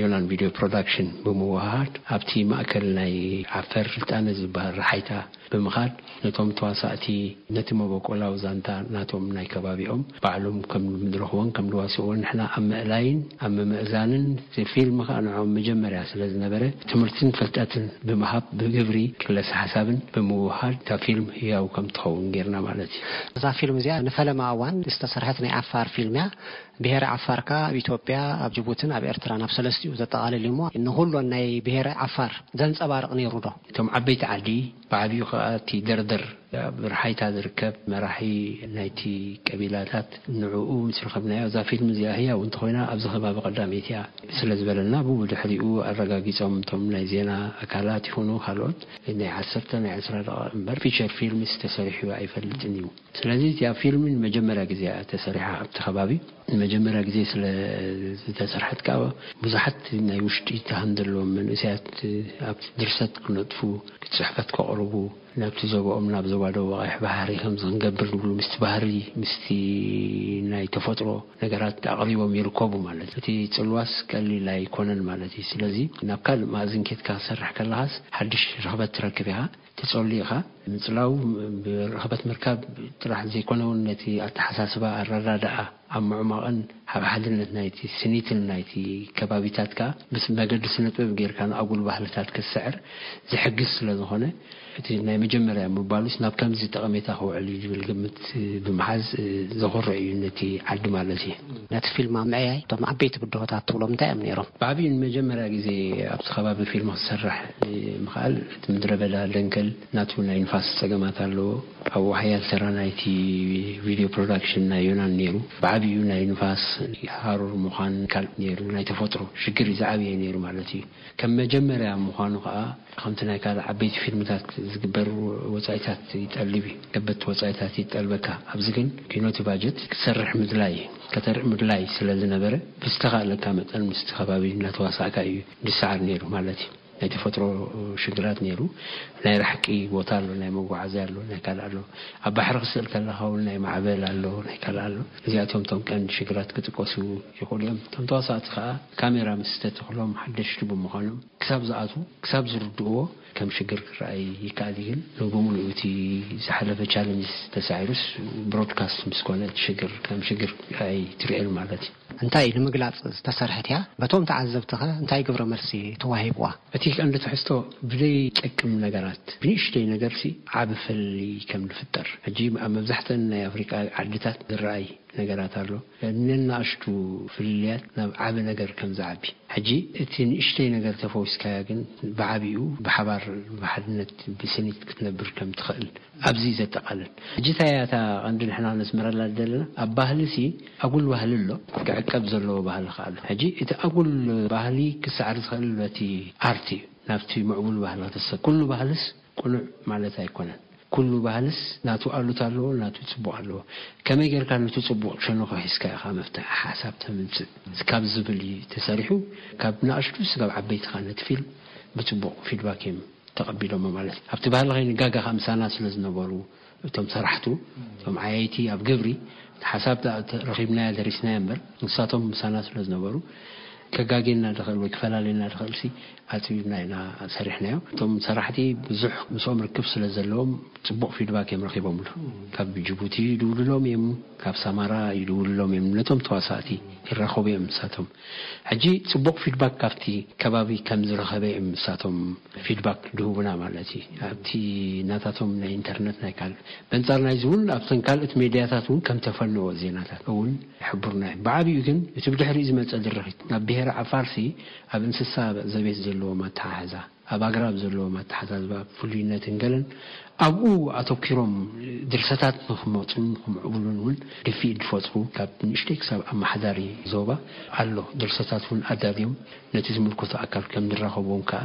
ዮናን ቪድዮ ፕሮዳክሽን ብምውሃድ ኣብቲ ማእከል ናይ ዓፈር ስልጣነ ዝበሃል ረሓይታ ብምኻድ ነቶም ተዋሳእቲ ነቲ መበቆላዊ ዛንታ ናቶም ናይ ከባቢኦም ባዕሎም ከም ምድረኽዎን ከም ድዋስዎን ንሕና ኣብ ምእላይን ኣብ ምምእዛንን እቲ ፊልም ከዓ ንዕኦም መጀመርያ ስለ ዝነበረ ትምህርትን ፍልጠትን ብምሃብ ብግብሪ ክለሰ ሓሳብን ብምውሃድ እታ ፊልም ህያው ከም ትኸውን ጌርና ማለት እዩ። እዛ ፊልም እዚኣ ንፈለማ እዋን ዝተሰርሐት ናይ ዓፋር ፊልም እያ። ብሄረ ዓፋር ከኣ ኣብ ኢትዮጵያ ኣብ ጅቡትን ኣብ ኤርትራን ኣብ ሰለስቲኡ ዘጠቓልል እዩ እሞ ንኹሎን ናይ ብሄረ ዓፋር ዘንጸባርቕ ነይሩ ዶ? እቶም ዓበይቲ ዓዲ ብዓብዩ ከኣ እቲ ደርደር ኣብ ርሓይታ ዝርከብ መራሒ ናይቲ ቀቢላታት ንዕኡ ምስ ረኸብናዮ እዛ ፊልም እዚኣ ህያው እንተኾይና ኣብዚ ከባቢ ቀዳመይቲ እያ ስለ ዝበለና ብኡ ብድሕሪኡ ኣረጋጊጾም እቶም ናይ ዜና ኣካላት ይኹኑ ካልኦት ናይ ዓሰርተ ናይ ዕስራ ደቂቕ እምበር ፊቸር ፊልምስ ተሰሪሑ ኣይፈልጥን እዩ። ስለዚ እዚኣ ፊልም ንመጀመርያ ግዜ እያ ተሰሪሓ ኣብቲ ከባቢ። ንመጀመርያ ግዜ ስለ ዝተሰርሐት ከዓ ብዙሓት ናይ ውሽጢ ተሃን ዘለዎም መንእሰያት ኣብቲ ድርሰት ክነጥፉ፣ ጽሕፈት ከቕርቡ፣ ናብቲ ዞባኦም ናብ ዞባ ደቡብ ቀይሕ ባሕሪ ከምዚ ክንገብር ንብሉ ምስቲ ባህሪ ምስቲ ናይ ተፈጥሮ ነገራት ኣቕሪቦም ይርከቡ ማለት እዩ። እቲ ጽልዋስ ቀሊል ኣይኮነን ማለት እዩ። ስለዚ ናብ ካልእ ማእዝን ኬድካ ክሰርሕ ከለኻስ ሓድሽ ርኽበት ትረክብ ኢኻ። ተጸሊእኻ ምጽላው ብርኽበት ምርካብ ጥራሕ ዘይኮነ እውን ነቲ ኣተሓሳስባ ኣረዳድኣ ኣብ ምዕማቕን ኣብ ሓድነት ናይቲ ስኒትን ናይቲ ከባቢታት ከኣ ምስ መገዲ ስነ ጥበብ ጌርካ ንኣጉል ባህልታት ክትስዕር ዝሕግዝ ስለ ዝኾነ እቲ ናይ መጀመርያ ምባሉስ ናብ ከምዚ ጠቐሜታ ክውዕል እዩ ዝብል ግምት ብምሓዝ ዘኹርዕ እዩ ነቲ ዓዲ ማለት እዩ። ነቲ ፊልም ኣብ ምዕያይ እቶም ዓበይቲ ብድሆታት ትብሎም እንታይ እዮም ነይሮም? ብዓብዩ ንመጀመርያ ግዜ ኣብቲ ከባቢ ፊልም ክሰርሕ ምኽኣል እቲ ምድረ በዳ ደንከል ናቱ ናይ ንፋስ ጸገማት ኣለዎ። ኣብኡ ሓያል ተራ ናይቲ ቪድዮ ፕሮዳክሽን ናይ ዮናን ነይሩ። ብዓብዩ ናይ ንፋስ ሃሩር ምዃን ካልእ ነይሩ። ናይ ተፈጥሮ ሽግር እዩ ዝዓብየ ነይሩ ማለት እዩ። ከም መጀመርያ ምዃኑ ከኣ ከምቲ ናይ ካልእ ዓበይቲ ፊልምታት ዝግበር ወጻኢታት ይጠልብ እዩ። ከበድቲ ወጻኢታት ይጠልበካ። ኣብዚ ግን ኪኖቲ ባጀት ክትሰርሕ ምድላይ ከተርኢ ምድላይ ስለ ዝነበረ ብዝተኻእለካ መጠን ምስቲ ከባቢ እናተዋሳእካ እዩ ዝሰዓር ነይሩ ማለት እዩ። ናይ ተፈጥሮ ሽግራት ነይሩ። ናይ ራሕቂ ቦታ ኣሎ፣ ናይ መጓዓዝያ ኣሎ፣ ናይ ካልእ ኣሎ። ኣብ ባሕሪ ክስእል ከለኻ እውን ናይ ማዕበል ኣሎ፣ ናይ ካልእ ኣሎ። እዚኣቶም እቶም ቀንዲ ሽግራት ክጥቀሱ ይኽእሉ እዮም። እቶም ተዋሳእቲ ከዓ ካሜራ ምስ ተተኽሎም ሓደሽቲ ብምዃኖም ክሳብ ዝኣትዉ ክሳብ ዝርድእዎ ከም ሽግር ክረኣይ ይከኣል እዩ። ግን ንብምሉኡ እቲ ዝሓለፈ ቻለንጅስ ተሳዒሩስ ብሮድካስት ምስ ኮነ እቲ ሽግር ከም ሽግር ኣይትርእዮን ማለት እዩ። እንታይ ንምግላጽ ዝተሰርሐት እያ? በቶም ተዓዘብትኸ እንታይ ግብረ መልሲ ተዋሂብዋ? እቲ ቀንዲ ትሕዝቶ ብዘይጠቅም ነገራት ብንእሽተይ ነገርሲ ዓቢ ፍልልይ ከም ዝፍጠር ሕጂ ኣብ መብዛሕተን ናይ ኣፍሪቃ ዓድታት ዝረኣይ ነገራት ኣሎ። ነናእሽቱ ፍልልያት ናብ ዓቢ ነገር ከም ዝዓቢ። ሕጂ እቲ ንእሽተይ ነገር ተፈዊስካያ ግን ብዓቢኡ ብሓባር ብሓድነት ብስኒት ክትነብር ከም ትኽእል ኣብዚ ዘጠቓልል። ሕጂ እንታይ እያ እታ ቀንዲ ንሕና ነስምረላ ዘለና ኣብ ባህሊ ሲ ኣጉል ባህሊ ኣሎ፣ ክዕቀብ ዘለዎ ባህሊ ከኣ ኣሎ። ሕጂ እቲ ኣጉል ባህሊ ክሰዕር ዝኽእል በቲ ኣርት እዩ። ናብቲ ምዕቡል ባህሊ ክትሰ ኩሉ ባህልስ ቅኑዕ ማለት ኣይኮነን። ኩሉ ባህልስ ናቱ ኣሉታ ኣለዎ፣ ናቱ ጽቡቕ ኣለዎ። ከመይ ጌርካ ነቲ ጽቡቕ ሸነኹ ሒዝካ ኢኻ መፍትሒ ሓሳብ ተምጽእ ካብ ዝብል እዩ ተሰሪሑ። ካብ ንኣሽቱ ስጋብ ዓበይቲ ኻ ነቲ ፊልም ብጽቡቕ ፊድባክ እዮም ተቐቢሎሞ ማለት እዩ። ኣብቲ ባህሊ ከይንጋጋ ኸኣ ምሳና ስለ ዝነበሩ እቶም ሰራሕቱ እቶም ዓያይቲ ኣብ ግብሪ ሓሳብ ረኺብናያ ደሪስናያ እምበር ንሳቶም ምሳና ስለ ዝነበሩ ከጋጌና ድኽእል ወይ ክፈላለየና ድኽእል ሲ ኣጽቢብና ኢና ሰሪሕናዮ። እቶም ሰራሕቲ ብዙሕ ምስኦም ርክብ ስለ ዘለዎም ጽቡቕ ፊድባክ እዮም ረኺቦምሉ። ካብ ጅቡቲ ይድውሉሎም እዮም፣ ካብ ሳማራ ይድውሉሎም እዮም። ነቶም ተዋሳእቲ ይራኸቡ እዮም ንሳቶም። ሕጂ ጽቡቕ ፊድባክ ካብቲ ከባቢ ከም ዝረኸበ እዮም ንሳቶም ፊድባክ ድህቡና ማለት እዩ። ኣብቲ ናታቶም ናይ ኢንተርነት ናይ ካልእ በንጻር ናይዚ እውን ኣብተን ካልኦት ሜድያታት እውን ከም ተፈነዎ ዜናታት እውን ይሕብሩና እዮም። ብዓቢኡ ግን እቲ ብድሕሪኡ ዝመጸ ድርኺት ናብ ብሄረ ዓፋርሲ ኣብ እንስሳ ዘቤት ዘለዎም ኣተሓሕዛ ኣብ ኣግራብ ዘለዎም ኣተሓዛዝባ ፍሉይነትን ገለን ኣብኡ ኣተኪሮም ድርሰታት ንክመፁን ንክምዕብሉን እውን ድፍኢት ዝፈጥሩ ካብ ንእሽተይ ክሳብ ኣመሓዳሪ ዞባ ኣሎ። ድርሰታት እውን ኣዳልዮም ነቲ ዝምልከቶ ኣካል ከም ዝራኸብዎም ከዓ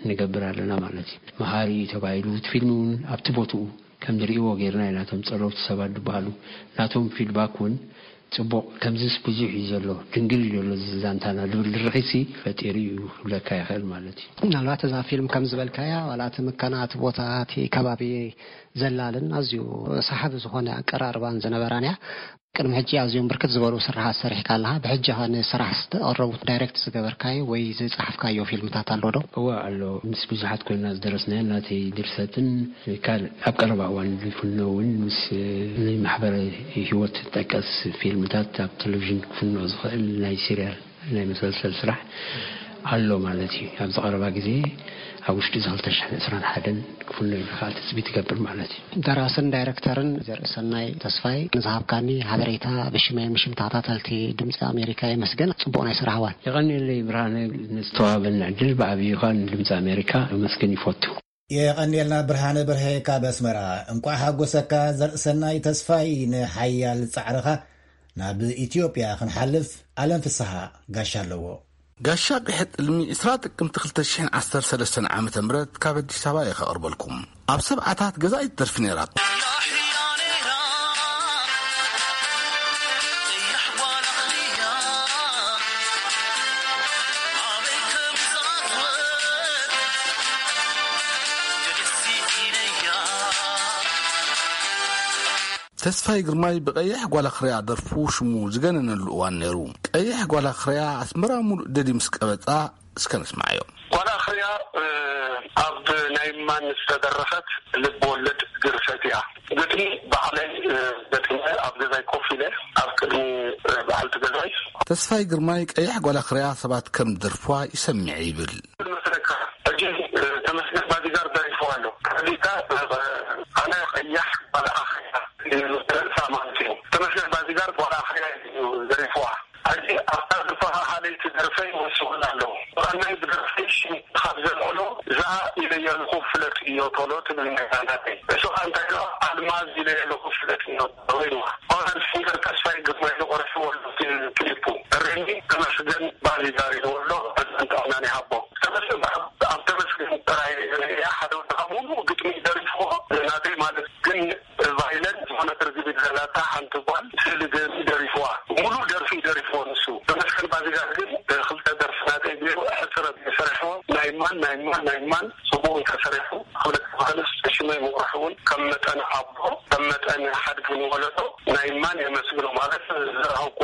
ንገብር ኣለና ማለት እዩ። መሃሪ እዩ ተባሂሉ እቲ ፊልም እውን ኣብቲ ቦትኡ ከም ዝርእይዎ ጌርና ኢና። እቶም ጸለውቲ ሰባት ዝበሃሉ ናቶም ፊድባክ እውን ጽቡቕ ከምዚስ ብዙሕ እዩ ዘሎ ድንግል እዩ ዘሎ እዚ ዛንታና ዝብል ድርኺትሲ ፈጢሩ እዩ ክብለካ ይኽእል ማለት እዩ። ምናልባት እዛ ፊልም ከም ዝበልካያ ዋላ እቲ ምከና እቲ ቦታ እቲ ከባቢ ዘላልን ኣዝዩ ሰሓቢ ዝኾነ ኣቀራርባን ዝነበራን እያ። ቅድሚ ሕጂ ኣዝዮም ብርክት ዝበሉ ስራሓት ሰሪሕካ ኣለኻ። ብሕጂ ኸ ንስራሕ ዝተቐረቡ ዳይሬክት ዝገበርካዮ ወይ ዝጸሓፍካዮ ፊልምታት ኣሎ ዶ? እወ ኣሎ። ምስ ብዙሓት ኮይና ዝደረስናዮ ናተይ ድርሰትን ካልእ ኣብ ቀረባ እዋን ዝፍኖ እውን ምስ ናይ ማሕበረ ህይወት ጠቀስ ፊልምታት ኣብ ቴሌቪዥን ክፍኖ ዝኽእል ናይ ሲሪያል ናይ መሰልሰል ስራሕ ኣሎ ማለት እዩ። ኣብዚ ቀረባ ግዜ ኣብ ውሽጢ እዚ ክልተ ሽሕን ዕስራን ሓደን ክፍኖ ኢሉ ከዓ ትፅቢት ይገብር ማለት እዩ። ደራስን ዳይረክተርን ዘርእሰናይ ተስፋይ ንዝሃብካኒ ሓበሬታ ብሽመይ ምሽም ተኸታተልቲ ድምፂ ኣሜሪካ የመስግን። ፅቡቕ ናይ ስራሕ እዋን። የቐንየለይ ብርሃነ፣ ንዝተዋህበኒ ዕድል ብዓብዩ ከዓ ንድምፂ ኣሜሪካ ኣመስግን ይፈቱ። የቐንየልና ብርሃነ በርሀ ካብ ኣስመራ። እንቋዕ ሓጎሰካ ዘርእሰናይ ተስፋይ። ንሓያል ጻዕርኻ ናብ ኢትዮጵያ ክንሓልፍ ኣለም ፍስሓ ጋሻ ኣለዎ። ጋሻ ቅሕጥ ልሚ ዕስራ ጥቅምቲ ክልተ ሽሕን ዓሰርተ ሰለስተን ዓመተ ምህረት ካብ ኣዲስ ኣበባ እየ ከቕርበልኩም። ኣብ ሰብዓታት ገዛኢት ደርፊ ነይራ። ተስፋይ ግርማይ ብቐይሕ ጓላ ክርያ ደርፉ ሽሙ ዝገነነሉ እዋን ነይሩ። ቀይሕ ጓላ ክርያ ኣስመራ ሙሉእ ደዲ ምስ ቀበጻ እስከ ንስማዓዮ። ጓላ ክርያ ኣብ ናይ ማን ዝተደረኸት ልብ ወለድ ግርሰት እያ። ግጥሚ ባዕለይ ገጢመ ኣብ ገዛይ ኮፍ ኢለ ኣብ ቅድሚ በዓልቲ ገዛይ። ተስፋይ ግርማይ ቀይሕ ጓላ ክርያ ሰባት ከም ደርፏ ይሰምዕ ይብል። መስለካ ሕጂ ተመስገን ባዲጋር ደሪፍዋ ኣሎ። ከዚካ ኣነ ቀያሕ ጓላ ኣኽርያ ርእሳ ማለት እዩ። ተመስገን ባዲጋር ጓላ ኣኽርያ እዩ ደሪፍዋ። ሕጂ ኣብታ ዝፈሃሃለይቲ ደርፈይ ወሲኹላ ኣለዉ። ዋናይ ብደርፈይ ሽም ካብ ዘልዕሎ እዛ ኢለ የለኹ ፍለጥ እዮ ቶሎ ትብል ነይራ ናተይ። እሱ ከኣ እንታይ ኢሎ ኣልማዝ ኢለ የለኹ ፍለጥ እዮ ቶሎ ኢልዋ። ኦራል ሲንገር ተስፋይ ግርማይ ኢሉ ቆሪሕዎ ኣሎ እቲ ክሊፑ። እሬኒ ተመስገን ባዚጋር ኢልዎ ኣሎ። ዕድመን ጥዕናን ይሃቦ። ተመስገን ኣብ ተመስገን ጥራይ ርእያ ሓደ ወዲ ካብ ሙሉእ ግጥሚ ደሪፍዎ ናተይ ማለት ግን ቫይለንት ዝኾነት ርግቢት ዘላታ ሓንቲ ጓል ስእሊ ገይሩ ደሪፍዋ። ሙሉእ ደርፊ ደሪፍዎ ንሱ። ተመስገን ባዚጋር ግን ክልተ ደርፊ ናተይ ገይሩ ሕፅረት ሰሪሕዎ። ናይ ማን ናይ ማን ናይ ማን ፅቡቅ እንተሰሪሑ ክብለካ ዝኽእልስ ሽመይ ምቑራሕ እውን ከም መጠን ኣቦ ከም መጠን ሓድጊ ንወለዶ ናይ ማን የመስግኖ ማለት ዝረኸብኮ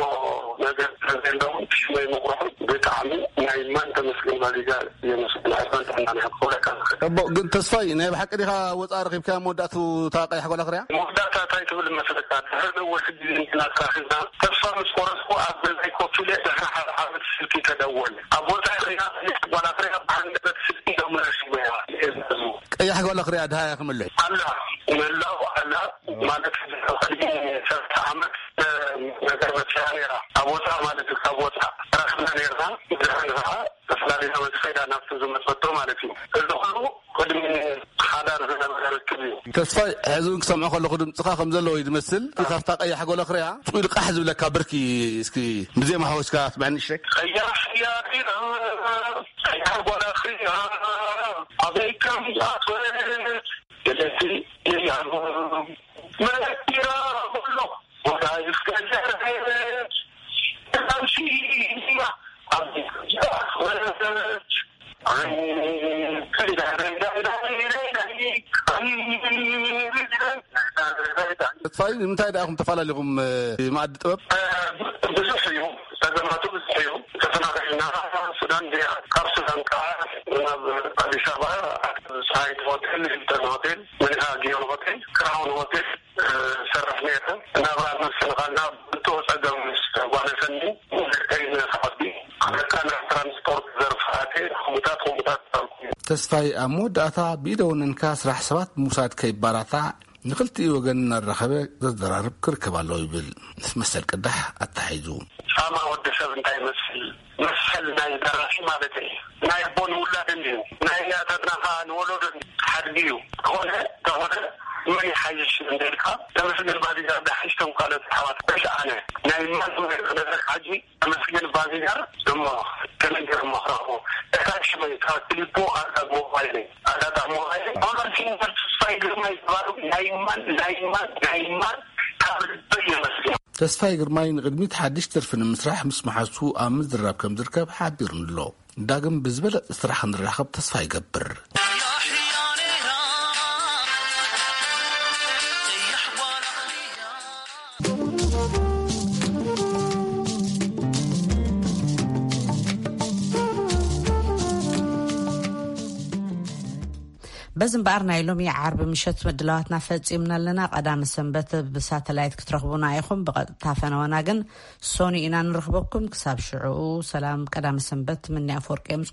ነገር ስለዘለውን ሽመይ ምቑራሕ ብጣዕሚ ናይ ማን ተመስገን ባዚጋር የመስግን። ዕድመን ጥዕናን ይሃብ ክብለካ ዝኽእል። እቦ ግን ተስፋይ ናይ ብሓቂ ዲኻ ወፃእ ረኺብካያ መወዳእቱ እታ ቀያሕ ጓል ኣኽርያ? መወዳእታ እንታይ ትብል መስለካ? ድሕሪ ነዊሕ ግዜ እንትና ተራኺብና ተስፋ ምስ ቆረፅኩ ኣብ ገዛይ ኮፍ ኢለ ድሕሪ ሓደ ዓመት ስልኪ ተደወለ። ኣብ ወፃኢ ኸይና ቀያሕ ጓል ኣኽርያ ብሃንደበት ስልኪ ደውላ ሽመያ እየ ዝሕዙ። ቀያሕ ጓል ኣኽርያ ድሃያ ክምልሕ? ኣላ ምህላው ኣላ ማለት ቅድሚ ሰለስተ ዓመት ነገር መፅያ ነይራ። ኣብ ወፃእ ማለት እዩ ካብ ወፃእ ተራኺብና ነይርና። ድሕሪ ከዓ ተፈላለዩ መፅፈይዳ ናብቲ ዝመፀቶ ማለት እዩ። እዚ ኩሉ ቅድሚ ሓዳር ዝነበረ ርክብ እዩ። ተስፋይ ሕዚ እውን ክሰምዖ ከለኹ ድምፅኻ ከም ዘለዎ እዩ ዝመስል። እቲ ካብታ ቀያሕ ጎለኽርያ ጭው ኢሉ ቃሕ ዝብለካ ብርኪ እስኪ ብዜማ ሓወስካ ኣስምዐኒ እሺ። ቀያሕ እያ ዲና ቀያሕ ጓላኽርያ ኣበይ ከም ዝኣትወት ገለቲ እያ መኪራ በሎ ወዳይፍ ገዘረች ተምሲማ ኣበይ ከም ዝኣትወት ተስፋይ ንምንታይ ደኣ ኹም ተፈላለኹም መኣዲ ጥበብ? ብዙሕ እዩ፣ ጸገማቱ ብዙሕ እዩ። ተፈናቒልና ሱዳን ዲኣ፣ ካብ ሱዳን ከዓ ናብ ኣዲስ ኣበባ፣ ፀሃይት ሆቴል፣ ሂልተን ሆቴል፣ መሊካ ጊዮን ሆቴል፣ ክራውን ሆቴል፣ ሰርሕ ነይረ። ናብራ ምስትንኻልና ብጥኡ ጸገም ምስ ጓነፈኒ፣ ደቀይ ንኽዓቢ፣ ክልተ ናይ ትራንስፖርት ዘርፍ ኣትየ፣ ከምኡታት ከምኡታት ኣልኩ። ተስፋይ ኣብ መወዳእታ ብኢደ ወነንካ ስራሕ ሰባት ብምውሳድ ከይባላታዕ ንኽልቲኡ ወገን እናራኸበ ዘዘራርብ ክርከብ ኣለዎ ይብል ምስ መሰል ቅዳሕ ኣተሓሒዙ። ጻማ ወዲ ሰብ እንታይ ይመስል? መሰል ናይ ደራሲ ማለት እዩ። ናይ ኣቦ ንውላድን እዩ። ናይ ኣያታትና ከዓ ንወለዶን ሓድጊ እዩ። ተኾነ ተኾነ መን ይሓይሽ እንተልካ ተመስገን ባዲጋር ዝሓይሽ ቶም ካልኦት ኣሕዋት በሽ ኣነ ናይ ማን ክነግረካ ሕጂ ተመስገን ባዲጋር እሞ ተነገር መኽረኹ እታ ሽመይ እታ ክሊፖ ኣዳግ ሞባይለይ ኣዳጣ ሞባይለይ ኦራል ሲንገር ተስፋይ ግርማይ ዝበሃሉ ናይ ማን ናይ ማን ናይ ማን ካብ ልበይ የመስግኖ። ተስፋይ ግርማይ ንቕድሚት ሓድሽ ደርፊ ንምስራሕ ምስ መሓዙቱ ኣብ ምዝርራብ ከም ዝርከብ ሓቢሩኒ ኣሎ። ዳግም ብዝበለጸ ስራሕ ክንራኸብ ተስፋ ይገብር። በዚ እምበኣር ናይ ሎሚ ዓርቢ ምሸት ምድላዋትና ፈጺምና ኣለና። ቀዳመ ሰንበት ብሳተላይት ክትረኽቡና ኢኹም። ብቐጥታ ፈነወና ግን ሶኒ ኢና ንረኽበኩም። ክሳብ ሽዑ ሰላም፣ ቀዳመ ሰንበት። ምኒ ኣፈወርቂ ምስ